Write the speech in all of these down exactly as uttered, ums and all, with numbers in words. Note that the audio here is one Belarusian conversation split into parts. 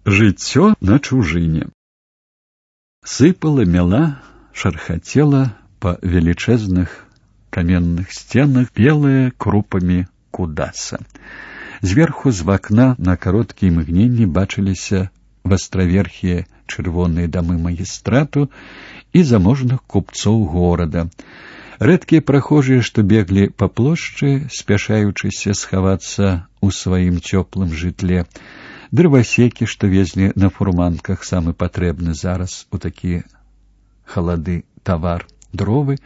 Жыццё на чужыне. Сыпала, мела, шархацела па велічэзных каменных сценах белая крупамі кудаса. Зверху з вакна на кароткія імгненні бачыліся вастраверхія чырвоныя дамы магістрату і заможных купцоў горада. Рэдкія прахожыя, што беглі па плошчы, спяшаючыся схавацца ў сваім цёплым жытле, дрывасекі, што везлі на фурманках самы патрэбны зараз у такія халады тавар, дровы,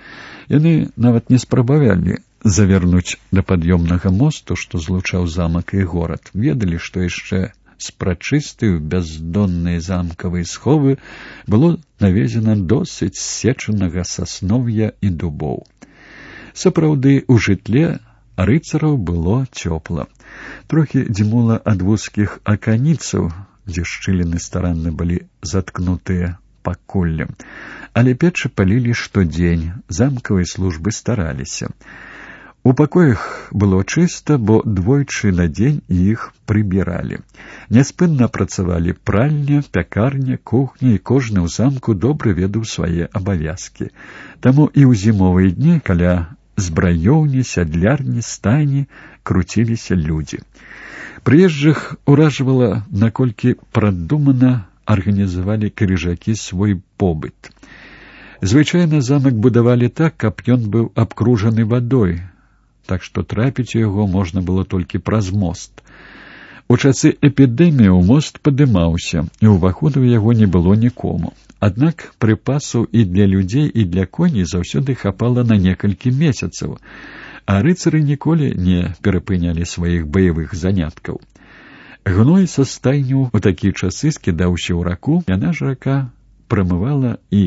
яны нават не спрабавалі завярнуць да пад'ёмнага мосту, што злучаў замак і горад. Ведалі, што яшчэ з прачыстай у бяздонныя замкавыя сховы было навезена досыць сечанага саснов'я і дубоў. Сапраўды, у жытле рыцараў было цёпла. Трохі дзьмула ад вузкіх аканіцаў, дзе шчыліны старанна былі заткнутыя пакуллем. Але печы палілі штодзень, замкавыя службы стараліся. У пакоях было чыста, бо двойчы на дзень іх прыбіралі. Няспынна працавалі пральня, пякарня, кухня, і кожны ў замку добра ведаў свае абавязкі. Таму і ў зімовыя дні каля збраёўні, сядлярні, стайні круціліся людзі. Прыезджых уражвала, наколькі прадумана арганізавалі крыжакі свой побыт. Звычайна замак будавалі так, каб ён быў абкружаны вадой, так што трапіць у яго можна было толькі праз мост. У часы эпідэміі мост падымаўся, і ўваходу ў яго не было нікому. Аднак прыпасаў і для людзей, і для коней заўсёды хапала на некалькі месяцаў, а рыцары ніколі не перапынялі сваіх баявых заняткаў. Гной са стайняў у такія часы скідаўся ў раку, яна ж рака прамывала і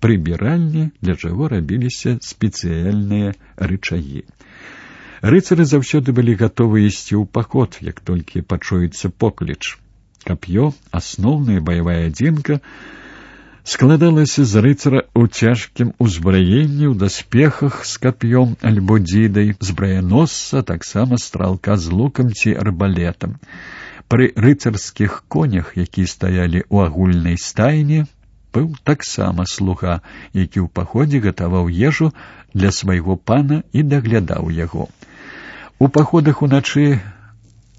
прыбіральні, для чаго рабіліся спецыяльныя рычагі. Рыцары заўсёды былі гатовы ісці ў паход, як толькі пачуецца покліч. Кап'ё, асноўная баявая адзінка, складалася з рыцара ў цяжкім узбраенні, ў даспехах з кап'ём альбо дзідай, збраяносца, таксама стралка з лукам ці арбалетам. Пры рыцарскіх конях, якія стаялі ў агульнай стайні, быў таксама слуга, які ў паходзе гатаваў ежу для свайго пана і даглядаў яго. У паходах уначы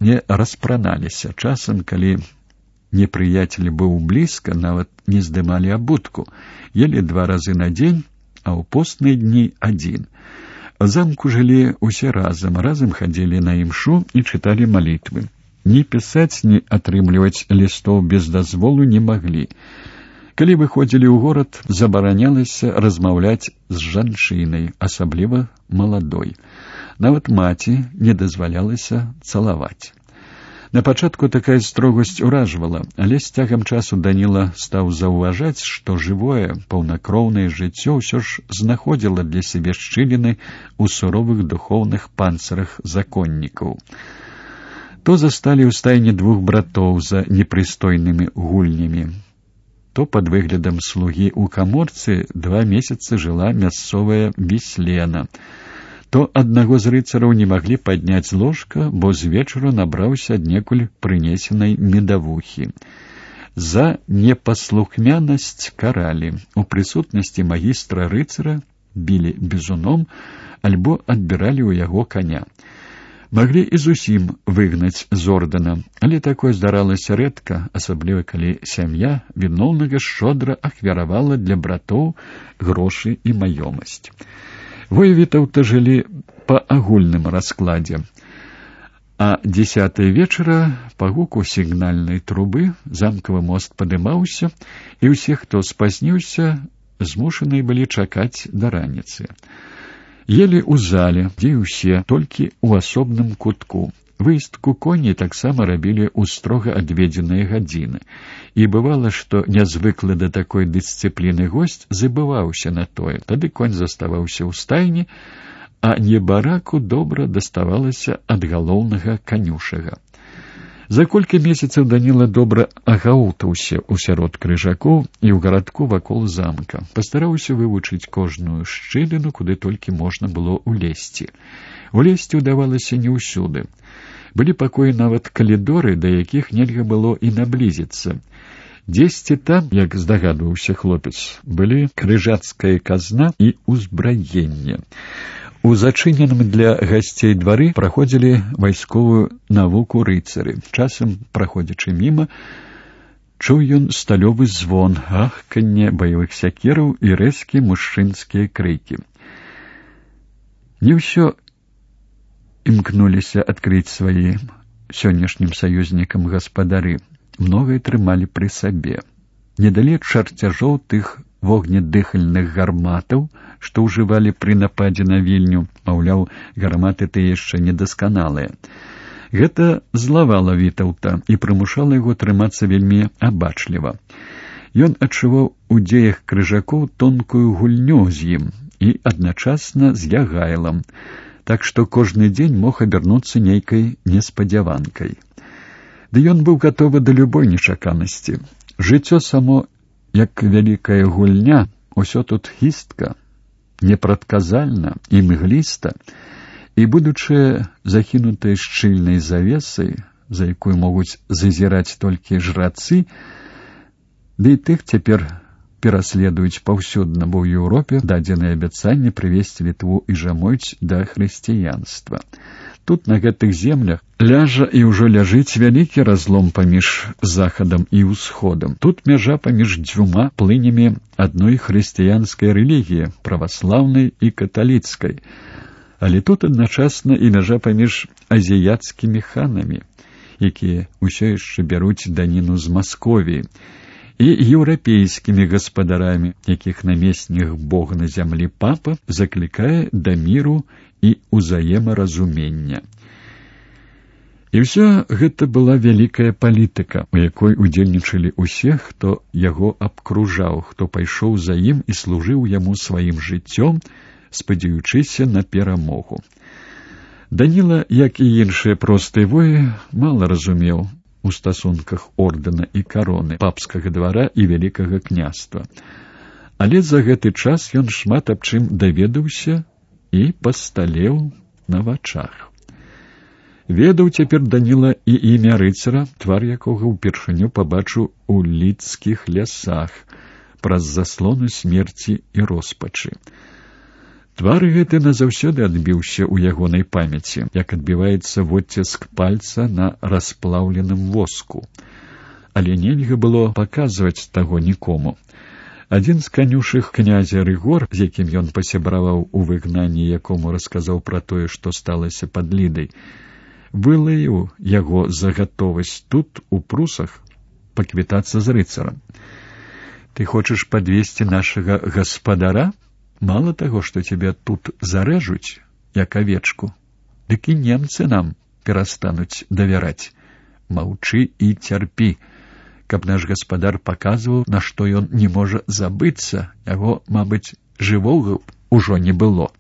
не распраналіся. Часам, калі непрыяцель быў блізка, нават не здымалі абутку, елі два разы на дзень, а ў постныя дні адзін. У замку жылі усе разам, разам хадзілі на імшу і чыталі малітвы. Ні пісаць, ні атрымліваць лістоў без дазволу не маглі. Калі выходзілі ў горад, забаранялася размаўляць з жанчынай, асабліва маладой. Нават маці не дазвалялася цалаваць. На пачатку такая строгасць уражвала, але з цягам часу Даніла стаў заўважаць, што жывое, паўнакроўнае жыццё ўсё ж знаходзіла для сябе шчыліны ў суровых духоўных панцырах законнікаў. То засталі ў стайні двух братоў за непрыстойнымі гульнямі, то пад выглядам слугі ў каморцы два месяцы жыла мясцовая Віслена, то аднаго з рыцараў не маглі падняць ложка, бо з вечару набраўся аднекуль прынесенай медавухі. За непаслухмянасць каралі. У прысутнасці магістра рыцара білі бізуном альбо адбіралі ў яго каня. Маглі і зусім выгнаць з ордэна, але такое здаралася рэдка, асабліва калі сям'я віноўнага шчодра ахвяравала для братоў грошы і маёмасць. Воевітаўта жылі па агульным раскладзе. А дзесятай вечара па гуку сігнальнай трубы замкавы мост падымаўся, і ўсе, хто спазніўся, змушаныя былі чакаць да раніцы. Елі ў зале, дзе ўсе, толькі ў асобным кутку. Выездку коней таксама рабілі ў строга адведзеныя гадзіны. І бывала, што нязвыклы да такой дысцыпліны госць забываўся на тое. Тады конь заставаўся ў стайні, а небараку добра даставалася ад галоўнага канюшага. За колькі месяцаў Даніла добра агаўтаўся ў сярод крыжакоў і ў гарадку вакол замка. Пастараўся вывучыць кожную шчыліну, куды толькі можна было ўлезці. Улезці ўдавалася не ўсюды. Былі пакоі нават калідоры, да якіх нельга было і наблізіцца. Дзесьці там, як здагадваўся хлопец, былі крыжацкая казна і ўзбраенне. У зачыненым для гасцей двары праходзілі вайсковую навуку рыцары. Часам, праходзячы міма, чуў ён сталёвы звон, ахканне баявых сякераў і рэзкія мужчынскія крыкі. Не ўсё імкнуліся адкрыць сваім сённяшнім саюзнікам гаспадары. Многае трымалі пры сабе. Недалеч чарцяжоў тых вогнедыхальных гарматаў, што ўжывалі пры нападзе на Вільню, маўляў, гарматы ты яшчэ недасканалыя. Гэта злавала Вітаўта і прымушала яго трымацца вельмі абачліва. Ён адчуваў у дзеях крыжакоў тонкую гульню з ім і адначасна з Ягайлам, так што кожны дзень мог абярнуцца нейкай неспадзяванкай. Ды ён быў гатовы да любой нечаканасці. Жыццё само, як вялікая гульня, усё тут хістка, непрадказальна і мгліста, і будучае захінутае шчыльнай завесай, за якую могуць зазіраць толькі жрацы, ды і тых цяпер пераследуюць паўсюдна, бо ў Еўропе дадзенае абяцанне прывесці Літву і Жамойць да хрысціянства. Тут, на гэтых землях, ляжа і ўжо ляжыць вялікі разлом паміж захадам і ўсходам. Тут мяжа паміж дзвюма плынямі адной хрысціянскай рэлігіі, праваслаўнай і каталіцкай. Але тут адначасна і мяжа паміж азіяцкімі ханамі, якія ўсё яшчэ бяруць даніну з Масковіі, і еўрапейскімі гаспадарамі, якіх намеснік Бога на зямлі папа заклікае да міру і ўзаемаразумення. І ўсё гэта была вялікая палітыка, у якой удзельнічалі ўсе, хто яго абкружаў, хто пайшоў за ім і служыў яму сваім жыццём, спадзяючыся на перамогу. Даніла, як і іншыя простыя воі, мала разумеў у стасунках ордэна і кароны, папскага двара і вялікага княства. Але за гэты час ён шмат аб чым даведаўся і пасталеў на вачах. Ведаў цяпер Даніла і імя рыцара, твар якога ўпершыню пабачыў у лідскіх лясах праз заслоны смерці і роспачы. Твар гэты назаўсёды адбіўся ў ягонай памяці, як адбіваецца водціск пальца на расплаўленым воску. Але нельга было паказваць таго нікому. Адзін з канюшых князя Рыгор, з якім ён пасябраваў у выгнанні, якому расказаў пра тое, што сталася пад Лідай, вылаяў яго за гатовасць тут, у прусах, паквітацца з рыцарам. «Ты хочаш падвесці нашага гаспадара? Мало таго, што цябе тут зарэжуць, як авечку, дык і немцы нам перастануць давяраць. Маўчы і цярпі, каб наш гаспадар паказваў, на што ён не можа забыцца, яго, мабыць, жывога ўжо не было».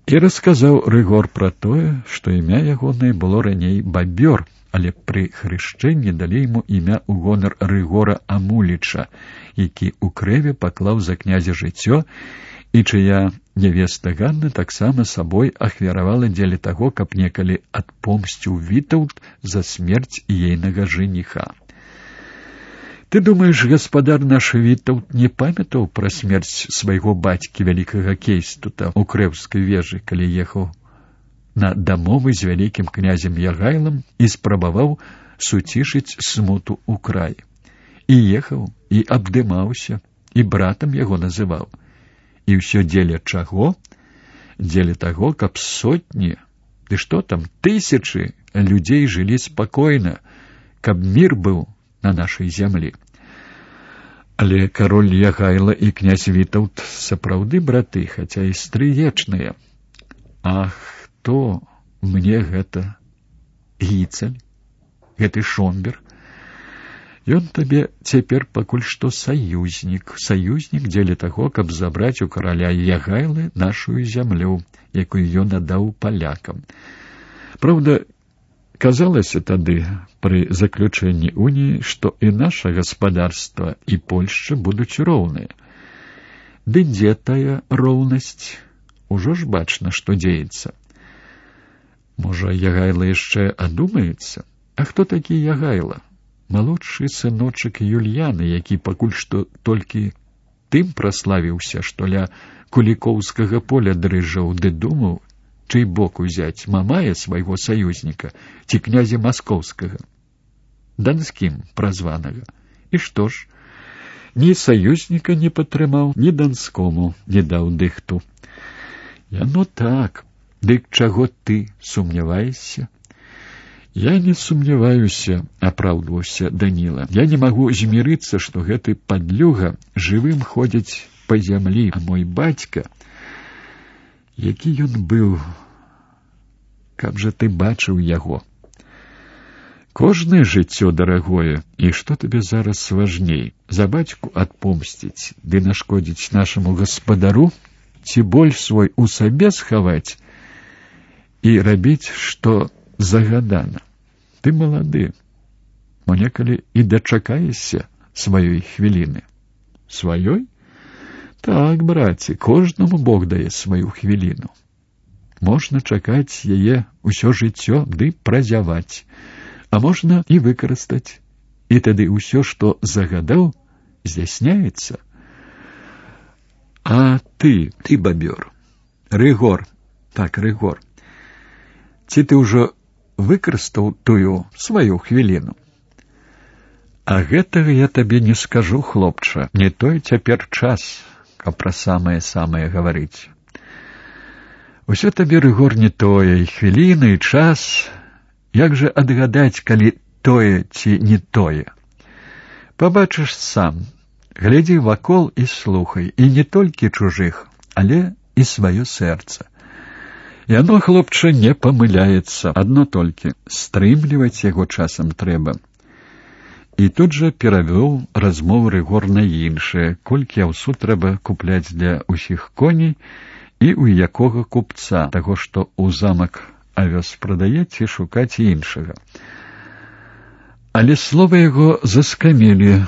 І расказаў Рыгор пра тое, што імя ягонае было раней Бабёр, але пры хрышчэнні далі яму імя ў гонар Рыгора Амуліча, які ў крэве паклаў за князя жыццё, і чыя нявеста Ганна таксама сабой ахвяравала дзеля таго, каб некалі адпомсціў Вітаўт за смерць ейнага жаніха. Ты думаеш, гаспадар наш Вітаўт не памятаў пра смерць свайго бацькі вялікага Кейстута ў крэўскай вежы, калі ехаў на дамовы з вялікім князем Ягайлам і спрабаваў суцішыць смуту ў край. І ехаў, і абдымаўся, і братам яго называў. І ўсё дзеля чаго? Дзеля таго, каб сотні, ды што там, тысячы людзей жылі спакойна, каб мір быў на нашай зямлі. Але кароль Ягайла і князь Вітаўт сапраўды браты, хаця і стрыечныя. Ах, хто мне гэта Гіцаль, гэты Шомбер? Ён табе цяпер пакуль што саюзнік, саюзнік дзеля таго, каб забраць у караля Ягайлы нашую зямлю, якую ён аддаў палякам. Праўда, казалася тады, пры заключэнні уніі, што і наша гаспадарства, і Польшча будуць роўныя. Ды дзе тая роўнасць? Ужо ж бачна, што дзеецца. Можа, Ягайла яшчэ адумаецца? А хто такі Ягайла? Малодшы сыночак Юльяны, які пакуль што толькі тым праславіўся, што ля кулікоўскага поля дрыжаў, ды думаў, чый бок узяць, Мамая свайго саюзніка ці князя маскоўскага, данскім празванага. І што ж, ні саюзніка не падтрымаў, ні данскому не даў дыхту. Яно так, дык чаго ты сумняваешся? Я не сумняваюся, апраўдваўся Даніла. Я не магу змірыцца, што гэты падлюга жывым ходзіць па зямлі, а мой бацька, які ён быў, каб жа ты бачыў яго. Кожнае жыццё дарагое, і што табе зараз важней, за бацьку адпомсціць, ды нашкодзіць нашаму гаспадару, ці боль свой у сабе схаваць і рабіць, што загадана. Ты малады, мо некалі і дачакаешся сваёй хвіліны. Сваёй? Так, браце, кожнаму Бог дае сваю хвіліну. Можна чакаць яе ўсё жыццё ды празяваць, а можна і выкарыстаць. І тады ўсё, што загадаў, здзяйсняецца. А ты, ты бабёр, Рыгор, так, Рыгор, ці ты ўжо выкарыстаў тую сваю хвіліну? А гэтага я табе не скажу, хлопча, не той цяпер час, каб пра самае-самае гаварыць. Усё табе, Рыгор, не тое, і хвіліна, і час. Як жа адгадаць, калі тое ці не тое? Пабачыш сам, глядзі вакол і слухай, і не толькі чужых, але і сваё сэрца. Яно, хлопча, не памыляецца, адно толькі стрымліваць яго часам трэба. І тут жа перавёў размову Рыгор на іншае, колькі аўсу трэба купляць для ўсіх коней і ў якога купца, таго, што ў замак авёс прадае, ці шукаць іншага. Але слова яго заскамелі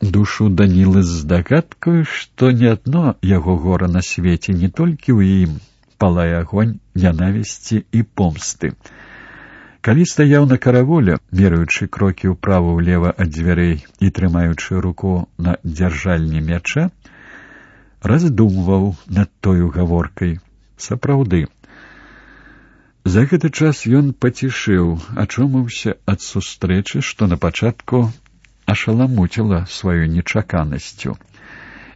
душу Данілы з здагадкаю, што не адно яго гора на свеце, не толькі ў ім палае агонь нянавісці і помсты. Калі стаяў на караволе, мераючы крокі ўправа-ўлева ад дзвярэй і трымаючы руку на дзяржальні мяча, раздумваў над тою гаворкай. Сапраўды, за гэты час ён пацішэў, ачомаўся ад сустрэчы, што на пачатку ашаламуціла сваёй нечаканасцю.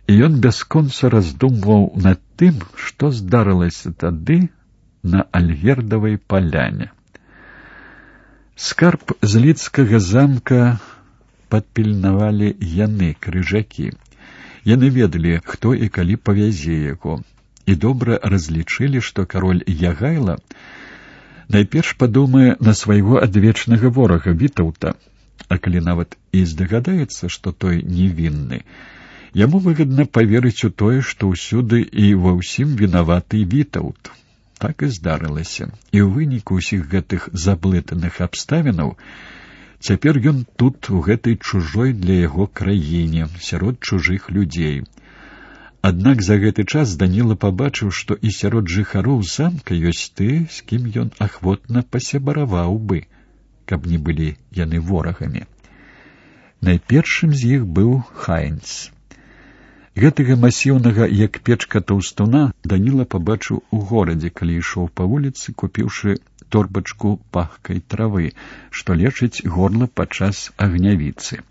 І ён бясконца раздумваў над тым, што здарылася тады на Альгердавай паляне. Скарб з лідскага замка падпільнавалі яны, крыжакі. Яны ведалі, хто і калі павязе яго, і добра разлічылі, што кароль Ягайла найперш падумае на свайго адвечнага ворага Вітаўта, а калі нават і здагадаецца, што той невінны, яму выгадна паверыць у тое, што ўсюды і ва ўсім вінаваты Вітаўт. Так і здарылася. І ў выніку ўсіх гэтых заблытаных абставінаў цяпер ён тут, у гэтай чужой для яго краіне, сярод чужых людзей. Аднак за гэты час Даніла пабачыў, што і сярод жыхароў замка ёсць ты, з кім ён ахвотна пасябараваў бы, каб не былі яны ворагамі. Найпершым з іх быў Хайнц. Гэтага масіўнага, як печка таўстуна, Даніла пабачыў у горадзе, калі ішоў па вуліцы, купіўшы торбачку пахкай травы, што лечыць горла падчас агнявіцы.